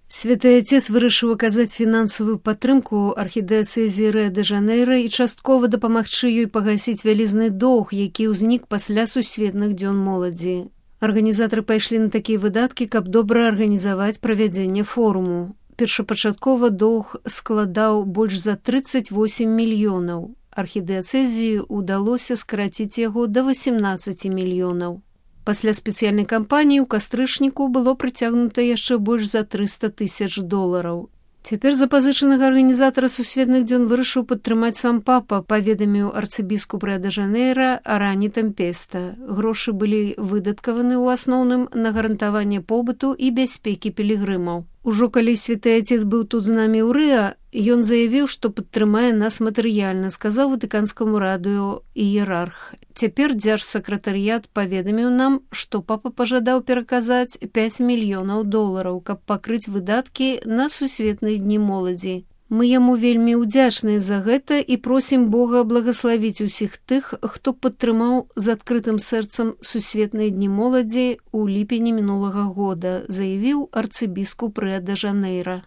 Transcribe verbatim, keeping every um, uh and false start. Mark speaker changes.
Speaker 1: Святы Отец вырашыў аказаць фінансавую падтрымку архідыяцэзіі Рыа-дэ-Жанэйра і часткова дапамагчы ёй пагасіць вялізны доўг, які ўзнік пасля сусветных дзён моладзі. Арганізатары пайшлі на такія выдаткі, каб добра арганізаваць правядзенне форуму. Першапачаткова доўг складаў больш за трыццаць восем мільёнаў. Архідыяцэзіі ўдалося скараціць яго да васемнаццаці мільёнаў. Пасля спецыяльнай кампаніі ў кастрычніку было прыцягнута яшчэ больш за трыста тысяч долараў. Цяпер запазычанага арганізатара сусветных дзён вырашыў падтрымаць сам папа, паведаміў арцыбіскуп Рыа-дэ-Жанэйра Арані Тэмпеста. Грошы былі выдаткаваны ў асноўным на гарантаванне побыту і бяспекі пілігрымаў. Ужо калі святы Отец быў тут з намі ў Рыа, ён заявіў, што падтрымае нас матэрыяльна, сказаў ватыканскаму радыё іерарх. Цяпер дзяржсакратарыят паведаміў нам, што папа пажадаў пераказаць пяць мільёнаў долараў, каб пакрыць выдаткі на сусветныя дні моладзі. Мы яму вельмі ўдзячныя за гэта і просім Бога благаславіць усіх тых, хто падтрымаў з адкрытым сэрцам сусветныя дні моладзі ў ліпені мінулага года, заявіў арцыбіскуп Рыа-дэ-Жанэйра.